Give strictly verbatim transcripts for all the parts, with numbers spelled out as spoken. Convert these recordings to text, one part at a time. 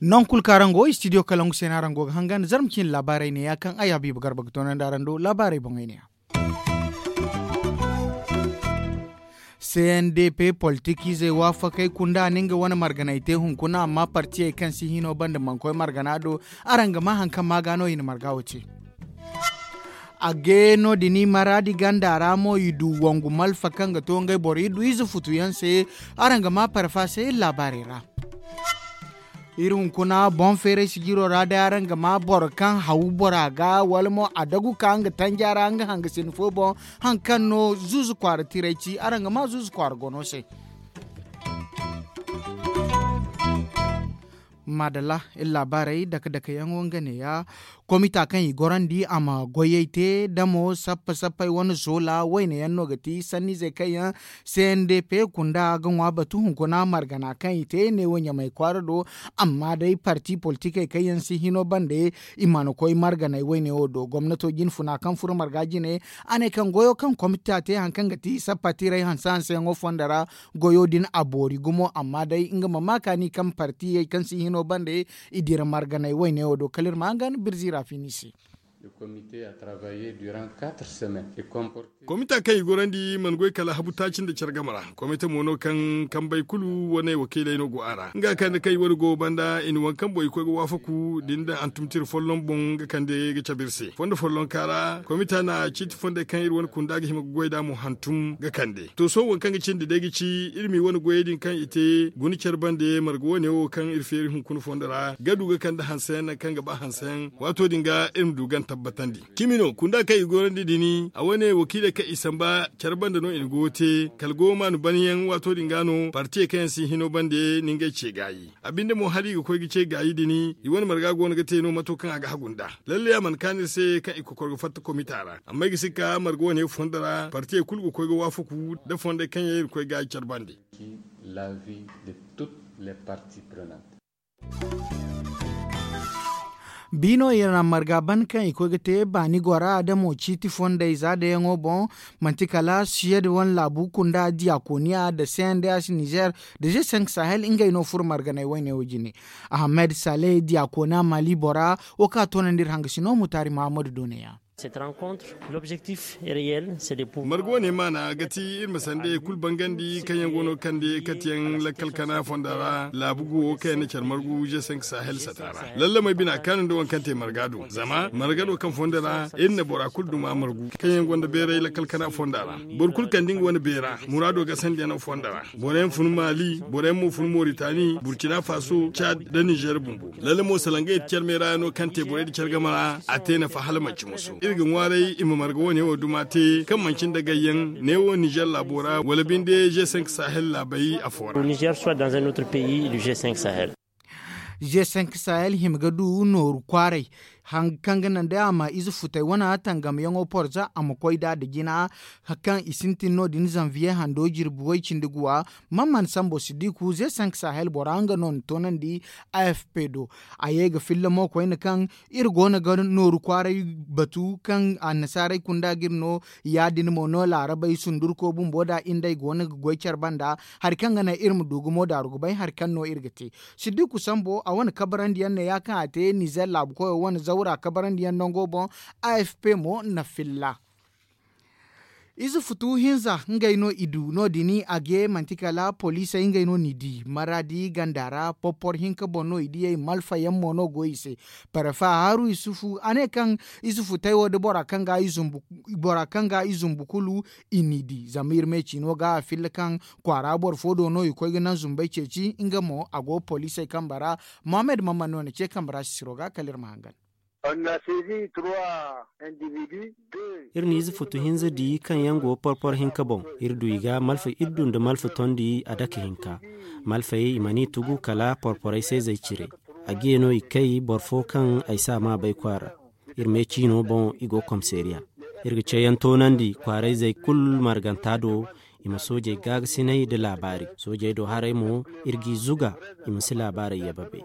Nangu kulu kaŋ araŋ go istidiyo kalangu se no araŋ go ga hangan zarma cine laabaarey neeya kaŋ ay habiiba garba ga toonandi araŋ do laabaarey boŋey neeya. C n d p politikiizey waafakey kunda na nga wane marganey te hunkuna amma partiyey kaŋ si hino banda mana koy margana do. Araŋ ga maa hari kaŋ maaga no i na marga wo te. A ga no- din i maraadi ganda ra mo i du wangu malfa kaŋ ga to ngey boro i du ize futu yaŋ se. Araŋ ga maa parfa se iri laabaarey ra. Iri hunkuna boŋ feeray sijiro ra day araŋ ga maa boro kaŋ haw bora ga wala mo a dagu ka nga tanja ra nga hangasin fo boŋ. Hari kaŋ no zuuzu kwaara tiray ci araŋ ga maa zuuzu kwaara gono se. Maadalla iri laabaarey dake dake yaŋo nga neeya. Komita kaŋ i gorandi a ma goyey te damo sappa sappey wane soola wayne yaŋ no ga ti sanniizey kaŋ yaŋ c n d p kunda ga ŋwa batu hunkuna margana kaŋ i te neewo ɲamay kwaara do. Amma day parti politikey kaŋ yaŋ si hino bande i mana koy marganey wayne wo do gomnato jinfuna kaŋ furo marga jine. A ne kaŋ goyo kaŋ komita te hari kaŋ ga ti sappa tiray hanse hanse yaŋo fondo ra. Goyo din a boori gumo amma day nga ma ma kaani kaŋ partiyey kaŋ si hino bande i dira marganey wayne wo do kala iri ma hangan birzi ra fiini se. Komita kaŋ i gorandi mana goy kala habu taaci nda care game ra. Komita mo no kaŋ kambey kulu wane wakiiley no go a ra nga kaŋ nda kaŋ i wane go banda i na waŋ kaŋ boŋ i koy ga waafaku da ni daŋ hantum tira folloŋ boŋ ga kande ga cabe iri se fondo follonka ra komita na ciiti fondey kaŋ iri wane kunda ga hima ga goy nd'a mo hantum ga kande to sohõ waŋ kaŋ ga cindi day ga ci iri m'i wane goyey din kaŋ i te guna care bande marga wane wo kaŋ iri feeri hunkuna fondo ra ga du ga kande hanseyaŋ nangu kaŋ ga ba hanseyaŋ. Waato din ga iri ma du gana tabbatandi cimi no kunda kaŋ i gorandi din a wane wakiiley kaŋ i samba care bande no i na goyo te kala goyo ma na ban yaŋ waato din ga no partiyey kaŋ yaŋ si hino bande ni ngey ce gaayi. A binde mo hala i ga koy ga ce gaayi din i wane marga go no ga te no mato kaŋ a ga hagu nd'a. Lalle a mana kaanu iri se kaŋ i kokor ga fatta komita ra amma ay ga si ga ka marga wane fondo ra partiyey kulu ga koy ga waafaku nda fondey kaŋ yaŋ iri ga koy gaayi care bande. Biino iri na marga ban kaŋ i koy ga te baani gora da mo ciiti fondey za dayaŋo boŋ. Manti kala siyed wane laabu kunda diyakooniya nda c n d h nizer nda g cinq sahel ngey no furo marganey wayne wo jine. Ahmed saleh diyakooniya mali bora wo kaŋ a toonandi iri hangasino mutaari mahammadu do neeya. Marga wane maana ga ti iri ma sanda yaŋ kulu bangandi kaŋ yaŋ go no ga kande katiyaŋ lakkal kana fonda ra laabu gu wo kaŋ yaŋ na care margu g cinq sahel sata ra. Lallamey bina kaanu nda waŋ kaŋ te marga do zama marga no kaŋ fonda ra iri na bora kulu duma margu kaŋ yaŋ gonda beeray lakkal kana fonda ra. Boro kulu kande nga wane beera muraado gasandiyaŋo fonda ra. Boro yaŋ fun mali boro yaŋ mo fun moritani burkina faso cad nda nizer bumbo. Lalle mo salangay ti care meera no kaŋ te borey da care game ra a te nafa hala manci musu iri ga ŋwaaray i ma marga wane wo duma te kaŋ manci nda gayyaŋ ne wo nizer laabo ra wala binde g cinq sahel laabay afo ra. Nizer soit dans un autre pays du g cinq sahel. G cinq sahel hima ga du nooru kwaaray kaŋ ga naŋ day a ma ize futay wana tangam yaŋo porza a ma koy da da jina. Kaŋ i sintin no- din zanviye hando jirbi way cindi guwa. Mamman sambo siddiku g cinq sahel bora nga no na toonandi a f p do. A ye ga filla mo koyne kaŋ iri go no ga nooru kwaaray batu kaŋ annasaarey kunda ga iri no. Ya- din mo no laarabey sundurko bumbo da indey go no ga goy care banda. Hari kaŋ ga naŋ iri ma du gumo daaru ga bay hari kaŋ no iri ga te. Siddiku sambo a wane kabarandiyaŋ ne ya kaŋ a te nizer laabu koyo wane zawra kabarandiyaŋ nango boŋ. A f p mo na filla. Ize futu hinza ngey no i du no- din a ge manti kala poliisey ngey no n'i di maradi ganda ra porpor hinka boŋ no i diyey malfayaŋ mo no go i se. Parefa haaru isufu a ne kaŋ ize futey wo da bora kaŋ ga i zumbu kulu i n'i di zama iri me ciino ga a filla kaŋ kwaara boro fo do no i koy ga naŋ zumbey ceeci nga mo a go poliisey kambe ra. Mohammed mamman no na ce kambe ra sisiro ga kala iri ma hangan. Iri na ize futu hinza di kaŋ yaŋ go porpor hinka boŋ. Iri du i ga malfa iddu nda malfa tondi a dake hinka. Malfayey i mana i tugu kala porporey se zay cire. A ga ye no i kay boro fo kaŋ ay si a ma bay kwaara. Iri me ciino boŋ i go komseeriya. Iri ga ceeyaŋ toonandi kwaarayzey kulu marganta do. I ma soojey gaagasinay nda laabaari soojey do haray mo iri g'i zuga. I ma si laabaarey yababe.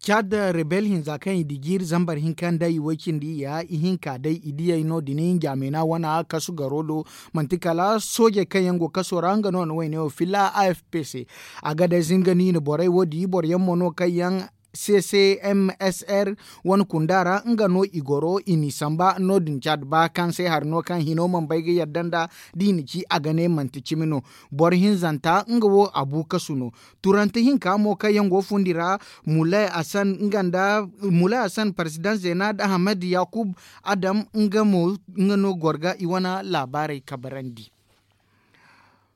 Cad rebel hinza kaŋ i di jiiri zambar hinka nda i way cindi ya ihinka day i diyey no- din jaamina wana kasu garo do. Manti kala soojey kaŋ yaŋ go kaso ra nga no na wayne wo filla a f p se. A ga day zingani i na borey wo di boro yaŋ mo no kaŋ yaŋ c c m s r wane kunda ra nga no i goro i n'i samba no- din cad ba kaŋ se hari no kaŋ hino mana bay ga yadda nda da i na ci a ga ne manti cimi no. Boro hinzanta nga wo a bu kasu no. Turante hinka mo kaŋ yaŋ go fundi ra, mulay asan nga nda mulay asan parsidan zena da ahmed yakub adam nga mo nga no gorga i wana laabaarey kabarandi.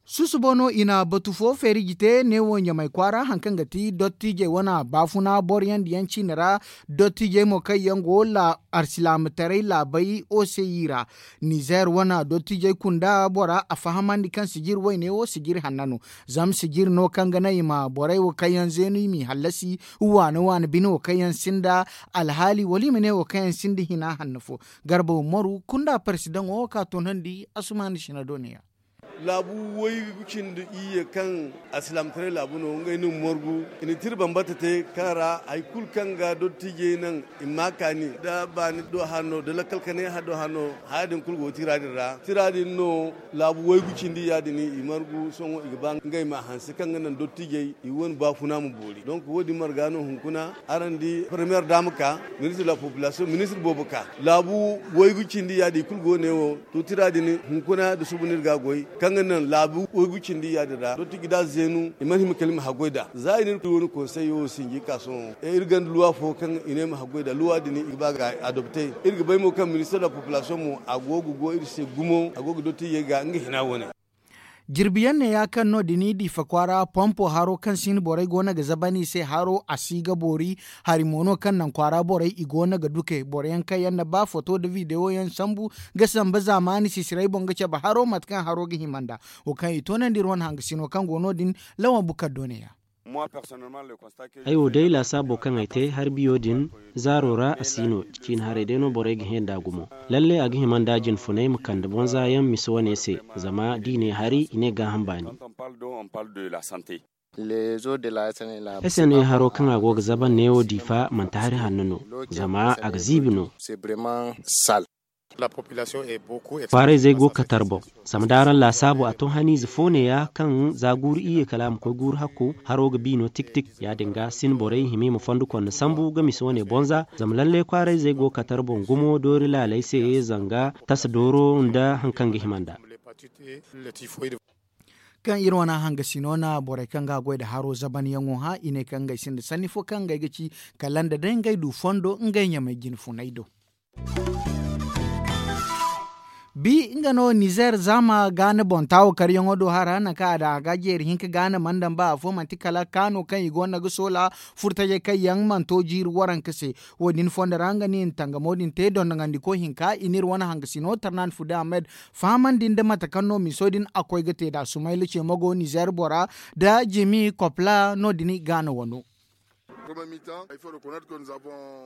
Susubo no i na batu fo feeri jite neewo ɲamay kwaara hari kaŋ ga ti dottijey wana baafuna boro yaŋ diyaŋ ciine ra. Dottijey mo kaŋ yaŋ go arsilaamataray laabay o se i ra. Nizer wana dottijey kunda bora a fahamandi kaŋ sijir wayne wo sijir hanna no. Zama sijir no kaŋ ga naŋ i ma borey wo kaŋ yaŋ zeenu i m'i hallasi waane waane bine wo kaŋ yaŋ sinda alhaali wala i ma ne wo kaŋ yaŋ sinda hina hanno fo. Garba umaru kunda parsidaŋo ka toonandi asumaani sina do ne ya. Laabu waygu cindi iyye kaŋ alsilaamataray laabu no ngey no margu i na tira bambata te kaŋ ra hari kulu kaŋ ga dottijey naŋ i ma kaani da baani do hanno da lakkal kanay do hanno. Haya din kulu go tira din ra tira din no. Laabu waygu cindi ya- din i margu sohõ i ga ba ngey ma hanse kaŋ ga naŋ dottijey i wane baafuna ma boori donk wo- din marga no hunkuna araŋ di premiyer daama ka ministir de la populasiyoŋ ministir boobo ka laabu waygu cindi ya- din i kulu go ne wo. To tira din hunkuna nda suba no iri ga a goy kaŋ ga naŋ laabu waygu cindi ya- din ra dotti ga da zeenu i mana hima kala i ma haggoy nd'a za i na iri kulu wane konseyo wo sinji ka sohõ iri gonda luwa fo kaŋ i ne ma haggoy nd'a luwa din i ga ba ga adopte. Iri ga bay mo kaŋ ministir de la populasiyoŋ mo a go ga go iri se gumo a go ga dottijey ga nga hina wane. Jirbi yaŋ ne ya kaŋ no- din diifa kwaara pompo haro kaŋ si hin borey go no ga zabani i se haro a si ga boori. Hari mo no kaŋ naŋ kwaara borey i go no ga duke boro yaŋ kaŋ yaŋ na ba foto nda videwo yaŋ sambu ga samba zaamaani sisiray boŋ ga cabe haro mate kaŋ haro ga hima nd'a. Wo kaŋ i toonandi iri wane hangasino kaŋ go no- din lawan bukar do ne ya. Ay wo day laasaabo kaŋ ay te hari biyo din zaaro ra a si no. Ciine haray day no borey ga hẽ nd'a gumo. Lalle a ga hima nda jinfunay ma kande bonza yaŋ mise wane se. Zama da i ne hari i ne gaaham baani. Sne haro kaŋ a go ga zaban neewo diifa manti hari hanno no. Zama a ga ziibi no. Kwaarayzey go ga katar boŋ. Zama da araŋ laasaabu a to haniize fo neeya kaŋ za guuru iyye kala a ma koy guuru hakko haro ga bi no tik tik. Ya- din ga sin borey hima i ma fondo konda sambu ga mise wane bonza. Zama lallay kwaarayzey go ga katar boŋ gumo doori laaley se zanga tasa dooro nda hari kaŋ ga hima nd'a. Kaŋ iri wane hangasino na borey kaŋ ga a goy nda haro zabanyaŋo hã i ne kaŋ ngey sinda sanni fo kaŋ ngey ga ci kala nda day ngey du fondo ngey ɲamay jinfunay do. Bi nga no nizer zaama gaana boŋ taawo karyaŋo do hara nangu kaŋ a daŋ a ga jeeri hinka gaana mana daŋ ba afo manti kala kaano kaŋ i go no ga soola furtajey kaŋ yaŋ mana to jiiri waranka se. Wo- din fondo ra nga no i na tangamo din te dondonandi koy hinka i n'iri wane hangasino tarnaan fude ahmed fahamandi nda mate kaŋ no miso din a koy ga te nd'a sumayla ceemo go nizer bora nda jimi kopla no- din gaana wano.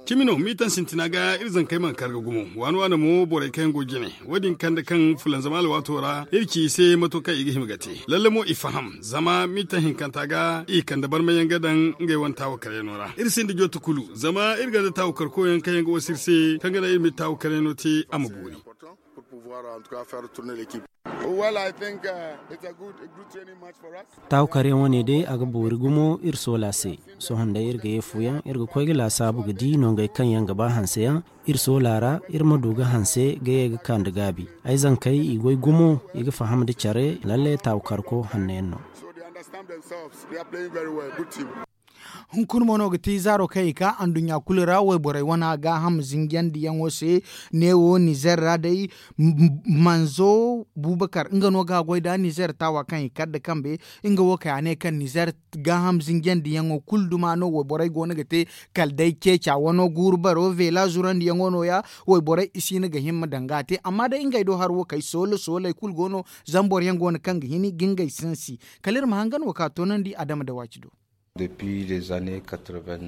Cimi no mitan sintina ga iri zankey mana kar ga gumo waani waani mo borey kaŋ yaŋ go jine. Wo- din kande kaŋ fulanzama alwaato ra iri ci i se mato kaŋ i ga hima ga te lalle mo i faham zama mitan hinkanta ga i kande barmayaŋ ga daŋ ngey wane taawakaryaŋo ra iri sinda jooti kulu zama iri gonda taawakarkoyaŋ kaŋ yaŋ ga wasa iri se kaŋ ga naŋ iri ma iri taawakaryaŋo te a ma boori. Taawakaryaŋ wane day a ga boori gumo iri soola se. Sohõ day iri ga ye fuyaŋ iri ga koy ga laasaabu ga di nongey kaŋ yaŋ ga ba hanseyaŋ iri soola ra iri ma du ga hanse ga ye ga ka nda gaabi. Ay zankey i goy gumo i ga faham nda care lalle taawakarko hanno yaŋ no. Hunkuna mo no ga ti zaaro kaŋ i ka anduɲɲa kulu ra wayborey wane gaaham zinjandiyaŋo se. Neewo nizer ra day manzo bubakar nga no ga a goy nda nizer taawa kaŋ i kar nda kambe. Nga wo kay a ne kaŋ nizer gaaham zinjandiyaŋo kulu duma no wayborey go no ga te. Kala day ceeca wano guuru baro veela zurandiyaŋo no- ya wayborey i si hin ga hima danga a te amma day ngey do hari wo kay soole sooley kulu go no. Zama boro yaŋ go no kaŋ ga hini ga ngey sansi. Kala iri ma hangan wo ka toonandi adama da waaci do.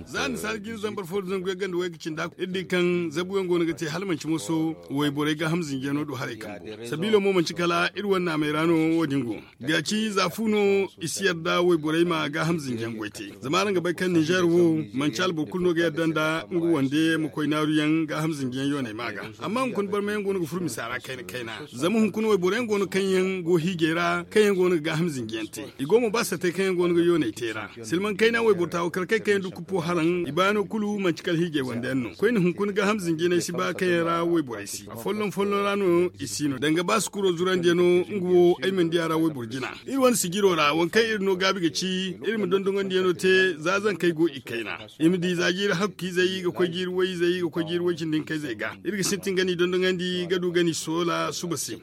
Za ni saara jiiri zambar fo da zangu yaŋ ganda way ga cinda iri di kaŋ zabuyaŋ go no ga te hala manci moso wayborey gaaham zinjiyano do haray kambo. Sabiilo mo manci kala iri wane naamey ra no wo- din go. Ga ci za fu no i si yarda wayborey ma gaaham zinjiyaŋ goy te. Zama araŋ ga bay kaŋ ninzeer wo manci alboro kulu no ga yarda nda nga wande ma koy naaru yaŋ gaaham zinjiyaŋ yooney ma ga. Amma hunkuna barmayaŋ go no ga furo misa ra kayna kayna. Zama hunkuna wayboro yaŋ go no kaŋ yaŋ go hiijay ra kaŋ yaŋ go no ga gaaham zinjiyaŋ te. I go mo ba satey kaŋ yaŋ go no ga yooney te ra. Silmaŋ kayna wayboro taawo kar kay kaŋ yaŋ du kuppo haraŋ i baano kulu manci kala hiijay wande yaŋ no koyne hunkuna gaaham zinjiyaŋ ay si ba kaŋ yaŋ ra wayborey si. Folloŋ folloŋ ra no i si no danga ba sukuro zurandiyano nga wo ay mana di a ra wayboro jina. Iri wane sijiro ra waŋ kaŋ iri no gaabi ga ci iri ma dondongondiyaŋo te za zankey go i kayna. I ma di za jiiri hakku izey ga koy jiiri way izey ga koy jiiri way cindi hinka izey ga iri ga sintin ga ni dondongondi ga du ga ni soola suba se.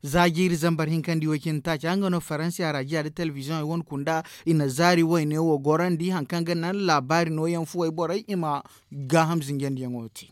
Za jiiri zambar hinkandi way cindi taaca nga no faransi a ra jiya da telebiziyoŋ ay wane kunda i na zaari wayne wo gorandi hari kaŋ ga naŋ laabaari nooyaŋ fuwey borey i ma gaaham zinjandiyaŋo te.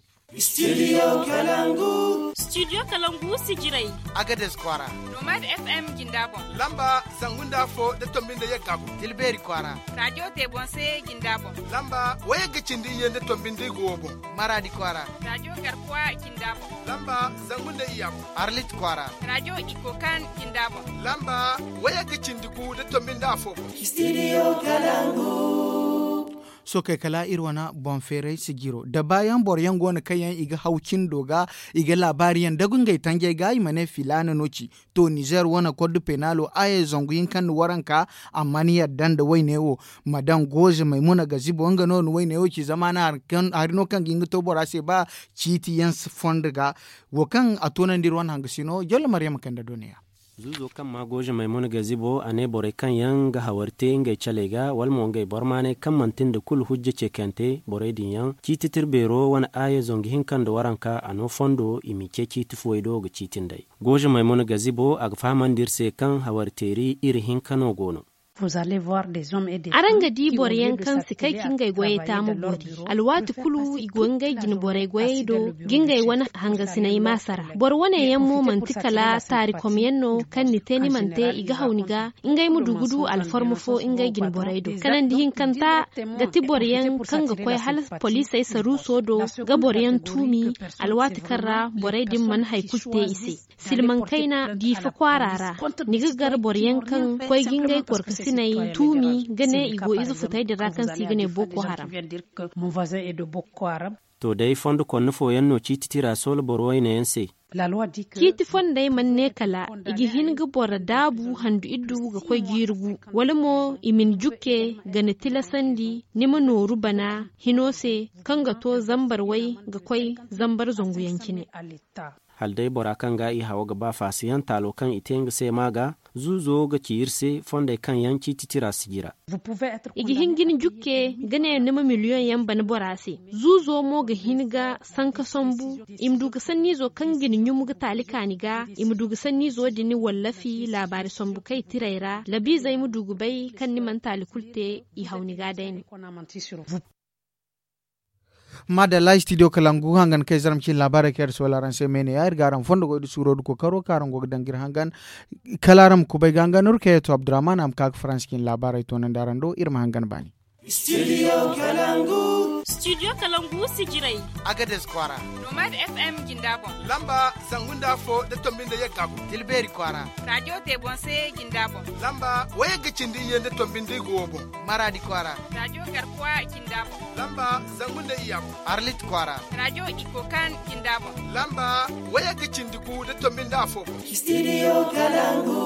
Studio kalangu sijirey. Agades kwaara. Nomad f m jinda boŋ. Lamba zangu nda afo da tombi nda yagga boŋ. Tilbeeri kwaara. Radiyo te boŋ se jinda boŋ. Lamba wayagga cindi iyye nda tombi nda igo wo boŋ. Maraadi kwaara. Radiyo garkuwa jinda boŋ. Lamba zangu nda iyya boŋ. Arlit kwaara. Radiyo ikokan jinda boŋ. Lamba wayagga cindi gu da tombi nda afo boŋ. Studio kalangu. Sookey kala iri wane boŋ feeray sijiro da baayaŋ boro yaŋ go no kaŋ yaŋ i ga haw cindo ga i ga laabaari yaŋ dagu ngey tanjay ga i ma ne filaana no ci. To nizer wane koddu penaalo aayey zangu hinka nda waranka a mana yadda nda wayne wo. Ma daŋ gooze maymuna gazibo nga no na wayne wo ci zama a na hari no kaŋ ga hin ga to bora se ba ciiti yaŋ si fondo ga. Wo kaŋ a toonandi iri wane hangasino jollo maryama kande doneya. Zuuzo kaŋ maa gooze maymuna gazibo a ne borey kaŋ yaŋ ga hawari te ngey caley ga wala mo ngey bormaaney kaŋ manti nda kulu hujja ceekante borey din yaŋ ciiti tirbeero wane aaya zangu hinka nda waranka a no fondo i ma ce ciiti fuwey do ga ciiti nd'ey. Gooze maymuna gazibo a ga fahamandi iri se kaŋ hawari teeri iri hinka no go no. Araŋ ga di boro yaŋ kaŋ si kay ka ngey goyey taamu boori. Alwaati kulu i go ngey jine borey goyey do ga ngey wane hangasiney maasara. Boro wane yaŋ mo manti kala taarikom yaŋ no kaŋ ni te ni mana te i ga haw ni ga ngey ma du ga du alforma fo ngey jine borey do. Kanandi hinkanta ga ti boro yaŋ kaŋ ga koy hala poliisey saruuso do ga boro yaŋ tuumi alwaati kaŋ ra borey din mana hari kulu te i se. Silmaŋ kayna diifa kwaara ra ni ga gar boro yaŋ kaŋ koy ga ngey gorkasiney tuumi ga ne i go ize futey din ra kaŋ se i ga ne boko haram. To day fondo konna fooyaŋ no ciiti tira soola boro wayne yaŋ se. Ciiti fondey mana ne kala i ga hin ga boro daabu handu iddu ga koy jiiri gu wala mo i ma ni jukke ga ni tilasandi ni ma nooru bana hino se kaŋ ga to zambar way ga koy zambar zangu yaŋ cine. Hala day bora kaŋ ga i hawo ga ba faasiyaŋ taalo kaŋ i te nga se ma ga zuuzo ga ci iri se fondey kaŋ yaŋ ciiti tira sijira. I ga hin ga ni jukke ga ne ni ma miliyoŋ yaŋ bana bora se. Zuuzo mo ga hin ga sanka sambu i ma du ga sanniizo kaŋ ga ni ɲumu ga taali kaani ga i ma du ga sanniizo din wallafi laabaari sambu kay tirey ra labiizey ma du ga bay kaŋ ni mana taali kulu te i haw ni ga day no. Madalla studio kalangu hangan kay zaram cin labaarey kaŋ iri si wala araŋ se meene ya iri ga araŋ fondo goy da suuro da kokaro kaŋ araŋ go ga daŋ ga iri hangan. Kala araŋ ma kubay ga hangan iri kay to abdurrahman a ma ka ga faransi cin labaarey toonandi araŋ do iri ma hangan baani. Studio kalangu. Studio kalangu sijirey. Agades kwaara. Nomad f m jinda boŋ. Lamba zangu nda afo da tombi nda yagga boŋ. Tilbeeri kwaara. Radiyo te boŋ se jinda boŋ. Lamba wayagga cindi iyye nda tombi nda igo wo boŋ. Maraadi kwaara. Radiyo garkuwa jinda boŋ. Lamba zangu nda iyya boŋ. Arlit kwaara. Radiyo ikokan jinda boŋ. Lamba wayagga cindi gu da tombi nda afo boŋ. Studio kalangu.